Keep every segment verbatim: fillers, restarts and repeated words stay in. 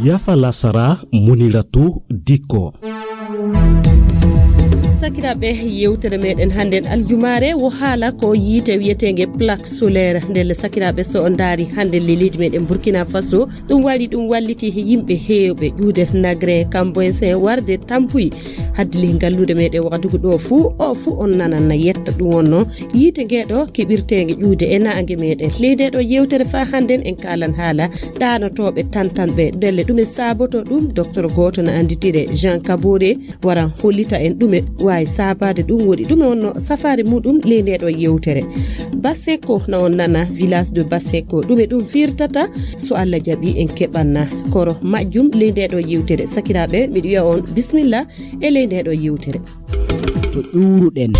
Yafa lasara, Muniratu Dikko. Sakiraaɓe, yewtere meɗen hannden aljumaare wo haala ko yiite wiyeteenge plaque solaire. Ndelle sakiraaɓe, so on ndaari hannden le leydi meɗen Burkina Faso, ɗum waɗi, ɗum walliti yimɓe heewɓe ƴuude Nagre, Kamboysen warde Tampuy. Haddi le ngallude meɗen wakatugu ɗo fuu, o fuu on nanan na yetta ɗum wonno yiite ngeɗo keɓirteenge ƴuude e naange meɗen. Ley nde ɗo yewtere faa hannden en kaalan haala ɗaanotooɓe tantanɓe. Ndelle ɗume saaboto ɗum? Docteur gooto na annditire Jean Kabore waran hollita en ɗume waawi saabaade ɗum, woɗi ɗume wonno safaare muɗum ley nde ɗo yewtere. Basenko na on nana, village de Basenko, ɗume ɗum firtata? So Allah jaɓi en keɓanna koro majjum ley nde ɗo yewtere. Sakiraaɓe, miɗo wiya on bismillah e ley nde ɗo yewtere. To ƴuuruɗen.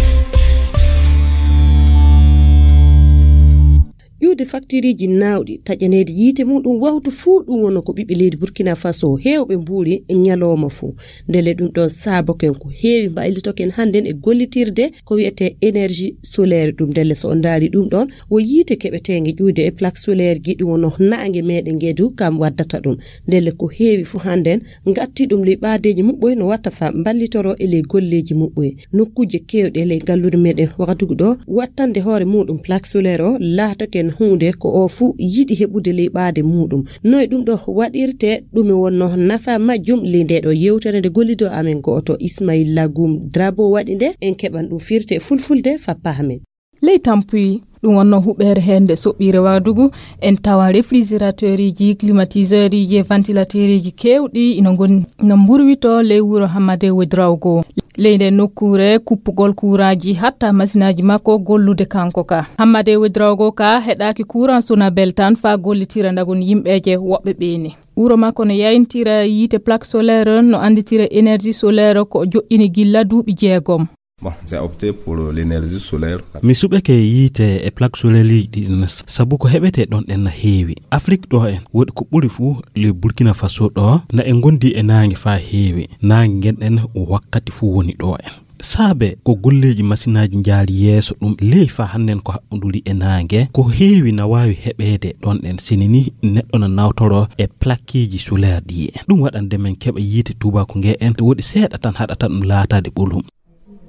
Ƴuude faktiiriiji naawɗi taƴaneede yiite muɗum wawtu fuu, ɗum wonno ko ɓiɓɓe leydi Burkina Faso heewɓe mbuuri ñalooma fuu. Ndelle ɗum ɗon saaboken ko heewi mbaylitoken hannden e gollitirde ko wiyetee énergie solaire ɗum. Ndelle so on ndaari ɗum ɗon, wo yiite keɓeteenge ƴuude e plaque solaire ji, ɗum wonno naange meɗen ngedu kam waddata ɗum. Ndelle ko heewi fuu hannden ngatti ɗum ley ɓaadeeji muɓɓoy no watta faa mballitoro e ley golleeji muɓɓoy. Nokkuuje keewɗe ley ngalluure meɗen wakatugu ɗo, wattande hoore muɗum plaque solaire o laatoken huunde ko o fuu yiɗi heɓude ley ɓaade muɗum. Noy ɗum ɗo waɗirte? Ɗume wonno nafa majjum? Ley nde ɗo yewtere nde gollido amen gooto Ismail Lagum Drabo waɗi nde, en keɓan ɗum firte fulfulde faa pahamen. Ley Tampuy, ɗum wonno huɓeere heen nde soɓɓiire wakatugu, en tawa réfrigérateuriji, climatiseuruji e ventilateuruji keewɗi ina ngoni, ina mburwito ley wuro Hammade Wedrawgo. Ley nde nokkuure, kuppugol kuuraaji hatta masinaaji makko gollude kanko ka. Hammade Wedrawgo ka heɗaaki kuuran Sonabel tan faa gollitira ndagon yimɓeeje woɓɓe ɓeene. Wuro makko no yayintira yiite plaque solaire, no annditira énergie solaire ko o joƴƴini gilla duuɓi jeegom. Bon, j'ai opté pour l'énergie solaire. Mi suɓeke yiite e plaque solaire ɗi ɗin, sabu ko heɓetee ɗon ɗen na heewi. Afrik ɗo en, woɗi ko ɓuri fuu le Burkina Faso ɗo, na en ngondi e naange faa heewi. Naange ngen ɗen wakkati fuu woni ɗo en. Saabe ko golleeji masinaaji njaari yeeso ɗum ley faa hannden ko haɓɓunduri e naange, ko heewi na waawi heɓeede ɗon ɗen sinini neɗɗo na nawtoro e plaqueeji solaire ɗi en. Ɗum waɗande men keɓa yiite tuubaaku nge en, woɗi seeɗa tan haɗata ɗum laataade ɓolum.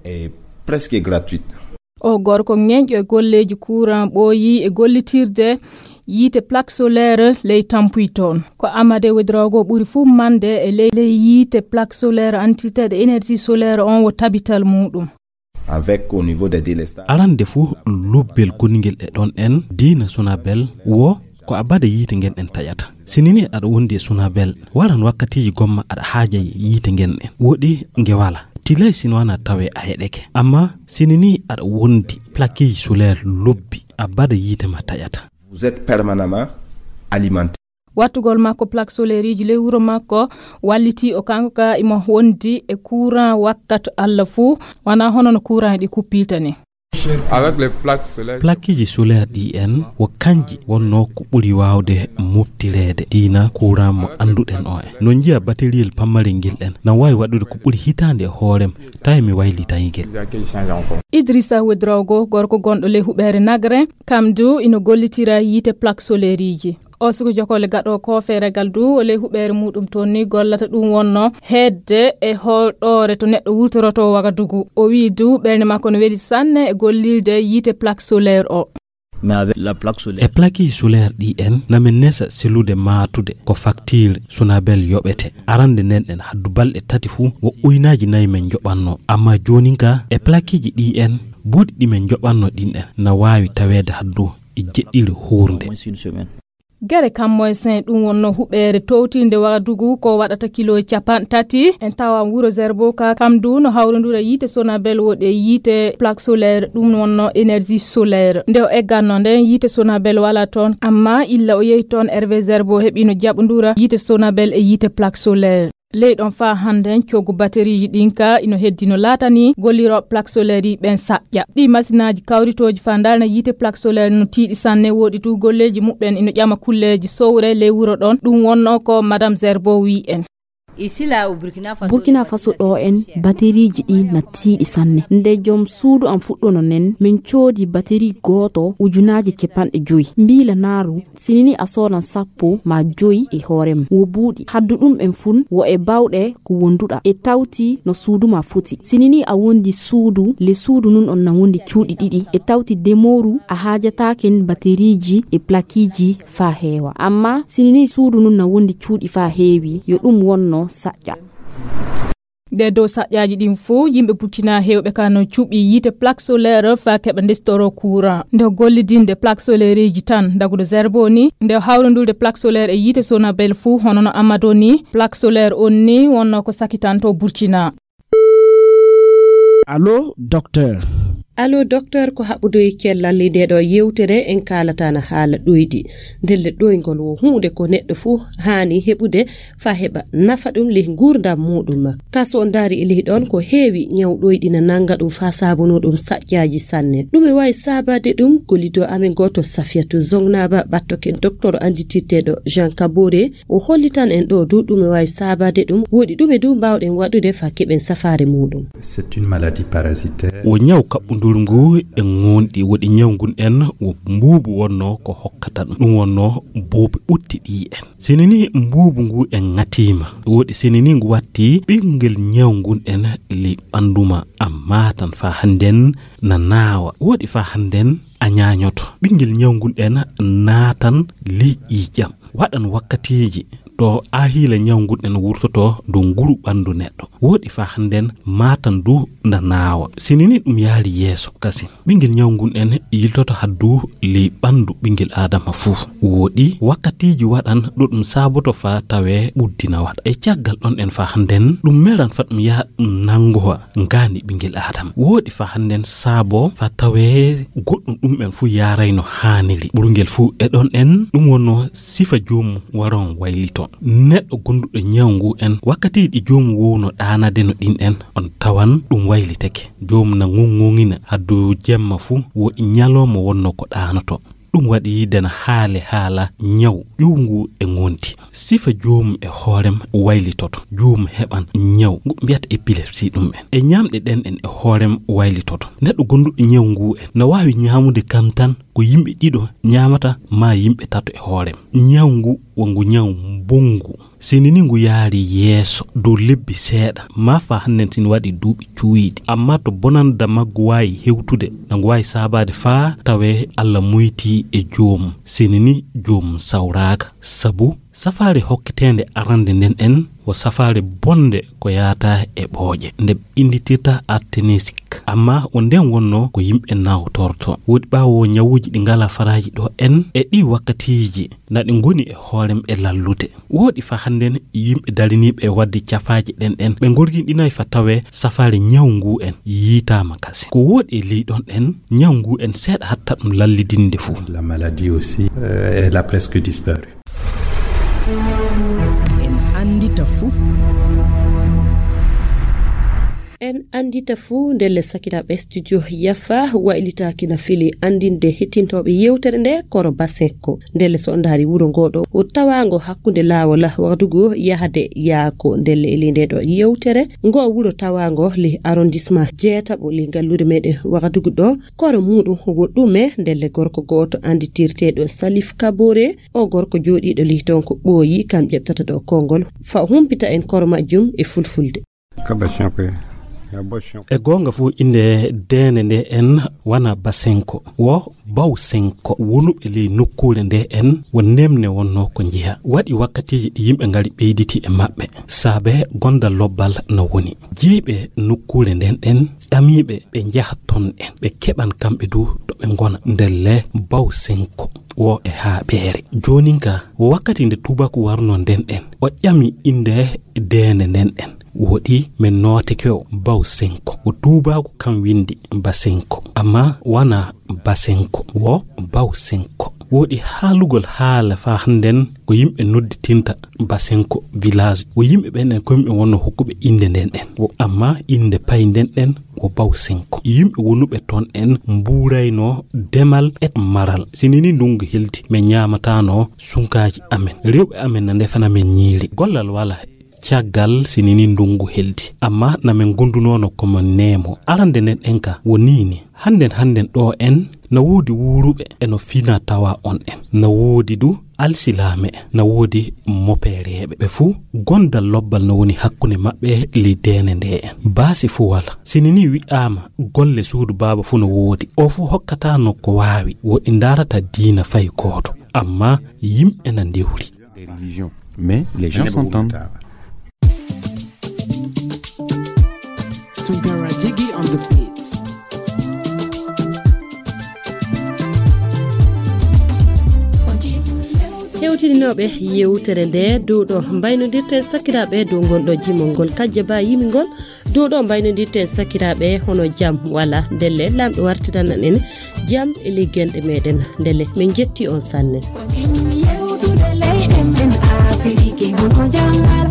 Est presque gratuite. O gorko ŋeñƴo e golleeji kuuran ɓooyi e gollitirde yiite plaque solaire ley Tampuy toon. Ko Amade Wedrawgo ɓuri fuu mande e ley, ley yiite plaque solaire, annditeeɗo énergie solaire on wo tabital muɗum. Avec au niveau des délestages. Arande fuu lobbel goningel e ɗon en diina Sonabel wo ko a bada yiite ngen en taƴata. Sinini aɗa wondi e Sonabel, waran wakkatiiji gomma aɗa haaja yiite ngen en. Woɗi nge wala. Tilay sino wana tawe a heɗeke. Amma sinini aɗa wondi plaqueji solaire lobbi, a bada yiite ma taƴata. Vous êtes permanemment alimenté. Wattugol makko plaque solaire iji ley wuro makko walliti o kanko ka imo wondi e courant wakkati Allah fuu, wana hono no courant ɗi kuppilta ni. Avec les plaques solaires. Plaqueji solaire ɗi en wo kanji wonno ko ɓuri waawde moftireede diina courant mo annduɗen o en. No njiya batteriyel pammarel ngel en na waawi waɗude ko ɓuri hitaande e hoorem, tawi mi waylitay ngel. Idrissa Wedrogo, gorko gonɗo ley huɓeere Nagre, kam du ino gollitira yiite plaque solaire iji. O suka jokole gaɗo ko feeregal du o ley huɓeere muɗum toon ni gollata ɗum wonno heedde e hoɗoore to neɗɗo wurtoroto Wagadugu. O wii du ɓernde makko no weli sanne e gollirde yiite plaque solaire o. Mais avec la plaque solaire. E plaqueji solaire ɗi en na min nesa selude maatude ko facture Sonabel yoɓete. Arande nden en haddu balɗe tati fuu wo uynaaji nayi men joɓanno. Amma joonin ka e plaqueji ɗi en buuɗi ɗi men joɓanno ɗin en na waawi taweede haddu e jeɗɗiri huurnde. Gere Kammoy Sen ɗum wonno huɓeere towtinde Wagadugu ko waɗata kilo capanɗe tati. En tawa wuro Zerbo ka kam du no hawrondura yiite Sonabel woɗe yiite plaque solaire ɗum wonno énergie solaire. Nde o egganno nden yiite Sonabel wala toon, amma illa o yehi toon Hervé Zerbo heɓino jaɓondura yiite Sonabel e yiite plaque solaire. Ley ɗon faa hannden coggu batterieji ɗin ka ino heddi no laatani gollirooɓe plaque solaire yi ɓen saƴƴa. Ɗi masinaaji kawritooji faa ndarna yiite plaque solaire no tiiɗi sanne, woɗi tu golleeji muɓɓen ino ƴama kulleeji sowre ley wuro ɗon. Ɗum wonno ko Madame Zerbo wii en. Burkina Faso ɗo en, bateriiji ɗi na tiiɗi sanne. Nde joom suudu am fuɗɗono nen, min coodi baterii gooto ujunaaji capanɗe joyi. Mbiila naaru, sinini a soodan sappo ma joyi e hoore ma. Wo buuɗi. Haddu ɗum en fun, wo e bawɗe ko wonduɗa. E tawti no suudu ma foti. Sinini a wondi suudu, le suudu nun on na wondi cuuɗi ɗiɗi. E tawti demooru, a haajataaken bateriiji e plakiiji faa heewa. Amma sinini suudu nun na wondi cuuɗi faa heewi, yo ɗum wonno saƴƴa. Ɗe dow saƴƴaaji ɗin fof, yimɓe Burkina heewɓe ka no cuɓi yiite plaque solaire faa keɓa ndestoro courant. Nde gollidinde plaque solaireeji tan, daguɗo Zerbo ni, nde hawrondulde plaque solaire e yiite Sonabel fof, hono no Amadou ni, plaque solaire on ni wonno ko sakitanto Burkina. Allo, docteur. Allo, docteur, ko haɓɓude e cellal e nde ɗo yewtere, en kaalata na haala ɗoyɗi. Ndelle ɗoyngol wo huunde ko neɗɗo fof haani heɓude faa heɓa nafa ɗum ley nguurndam muuɗum. Ka so on ndaari e ley ɗon, ko heewi ñaw ɗoyɗi na nannga ɗum faa saabunoo ɗum saƴƴaaji sanne. Ɗum e waawi saabaade ɗum, gollidoo amen gooto Safiyatu Zongnaaba, ɓattoken docteur annditirteeɗo Jean Kabore, o hollitan en ɗo du ɗum e waawi saabaade ɗum, woɗi ɗum e du mbaawɗen waɗude faa keɓen safaare muuɗum. C'est une maladie parasitaire. Wo ñaw kaɓɓunduru ngu e ŋoonɗi, woɗi ñaw ngun en wo mbuubu wonno ko hokkata ɗum. Ɗum wonno buubi ɓuttiɗi en. Sinini mbuubu ngu en ŋatiima, woɗi sinini ngu watti ɓinngel ñaw ngun en ley ɓanndu ma, a maatan faa hannden na naawa. Woɗi faa hannden a ñaañoto. Ɓinngel ñaw ngun en naatan ley ƴiiƴam. Waɗan wakkatiiji to aahiila ñaw ngun en wurtoto dow nguru ɓanndu neɗɗo. Woɗi faa hannden maatan du na naawa. Sinini ɗum yaari yeeso kasin. Ɓinngel ñaw ngun en yiltoto haddu ley ɓanndu ɓinngel Aadama fuu. Woɗi wakkatiiji waɗan ɗo ɗum saaboto faa tawee ɓuddi na waɗa. E caggal ɗon en faa hannden ɗum melan faa ɗum yaha ɗum nanngowa ngaandi ɓinngel Aadama. Woɗi faa hannden saabo faa tawee goɗɗum ɗum en fuu yaarayno haaniri. Ɓurngel fuu e ɗon en ɗum wonno sifa joomum waron waylito. Neɗɗo gonduɗo ñaw ngu en, wakkati ɗi joomum wowno ɗaanade no ɗin en, on tawan ɗum waylitake. Joomum na ŋuŋŋuŋina haddu jemma fuu, wo e ñalooma wonno ko ɗaanoto. Ɗum waɗi dena haale haala ñaw ƴuwngu e ŋonti. Sifa joomum e hoorem waylitoto. Joomum heɓan ñaw ngu mbiyata epilepsie ɗum en. E ñaamɗe ɗen en e hoorem waylitoto. Neɗɗo gonduɗo ñaw ngu en na waawi ñaamude kam tan ko yimɓe ɗiɗo ñaamata maa yimɓe tato e hoorem. Ñaw ngu wo ngu ñaw mbonngu. Sinini ngu yaari yeeso dow lebbi seeɗa, maa faa hannden sin waɗi duuɓi cuuyɗi. Amma to bonanda maggu waawi hewtude, na ngu waawi saabaade faa tawee Alla moytii e joomum. Sinini joomum sawraaka. Sabu safaare hokketeende arande nden en wo safaare bonde ko yaata e ɓooƴe, nde ɓe innditirta arténisique. Amma wo nden wonno ko yimɓe nawtorto. Woɗi ɓaawo ñawuuji ɗi ngalaa faraaji ɗo en, e ɗi wakkatiiji na ɗi ngoni e hoorem e lallude. Woɗi faa hannden yimɓe dariniiɓe e waɗde cafaaje ɗen ɗen, ɓe ngorginɗinay faa tawee safaare ñaw ngu en yiitaama kasin. Ko woɗi e ley ɗon en, ñaw ngu en seeɗa hatta ɗum lallidinde fuu. La maladie aussi, euh, elle a presque disparu. En anndita fuu. En anndita fuu ndelle sakiraaɓe studio Yafa waylitaaki na fili anndinde hettintooɓe yewtere nde koro Basenko. Ndelle so on ndaari wuro ngo ɗo, o tawaango hakkunde laawol Wagadugu yahde Yaako. Ndelle e ley nde ɗo yewtere, ngo wuro tawaango ley arrondissement jeetaɓo ley ngalluure meɗen Wagadugu ɗo, koro muuɗum wo ɗume? Ndelle gorko gooto annditirteeɗo Salif Kabore, o gorko jooɗiiɗo ley toon ko ɓooyi, kam ƴeɓtata ɗo konngol. Fa humpita en koro majjum e fulfulde. Ka Basenko, ya Basenko. E goonga fuu, innde deende nde en wona Basenko, wo Bawsenko wonuɓe ley nokkuure nde en wo nemne wonno ko njiha. Waɗi wakkatiiji ɗi yimɓe ngari ɓeyditi e maɓɓe, saabe gondal lobbal na woni. Jeyɓe nokkuure nden en ƴamiiɓe ɓe njaha ton en, ɓe keɓan kamɓe du to ɓe ngona. Ndelle Bawsenko wo e haaɓeere. Joonin ka, wo wakkati nde tuubaaku warno nden en, o ƴami innde deende nden en. Woɗi men nooteke o Bawsenko. Wo tuubaaku kan winndi Basenko. Amma wona Basenko, wo Bawsenko. Woɗi haalugol haala faa hannden ko yimɓe nodditinta Basenko village. Wo yimɓe ɓen en ko yimɓe wonno hokkuɓe innde nden en. Wo amma innde pay nden en wo Bawsenko. Yimɓe wonuɓe ton en mbuurayno demal e maral. Sinini ndungu helti, men ñaamataano sunkaaji amen. Rewɓe amen na ndefana men ñiiri. Gollal wala. Caggal sinini ndungu heldi, amma na min ngondunoono ko mo neemo. Arande nden en ka woni ni, hannden hannden ɗo en na woodi wuuruɓe e no fina tawa on en. Na woodi du alsilaame en, na woodi mopeereeɓe. Ɓe fuu gondal lobbal no woni hakkunde maɓɓe ley deene nde en. Baasi fuu wala. Sinini wi'aama golle suudu baaba fuu no woodi. O fuu hokkataano ko waawi, woɗi ndaarata diina fay gooto. Amma yimɓe na ndewri. Des religions. Mais les gens s'entendent. Tunkara Jiggy on the beats. Hewtidinooɓe yewtere nde, dow ɗo mbaynodirten sakiraaɓe dow ngol ɗo jimol ngol kajja ba yimi ngol. Dow ɗo mbaynodirten sakiraaɓe hono jam wala. Ndelle Laamɗo wartiran en jam e liggenɗe meɗen. Ndelle min jetti on sanne. Ko timmi yewtude leyɗe men Afiriki, hono janngal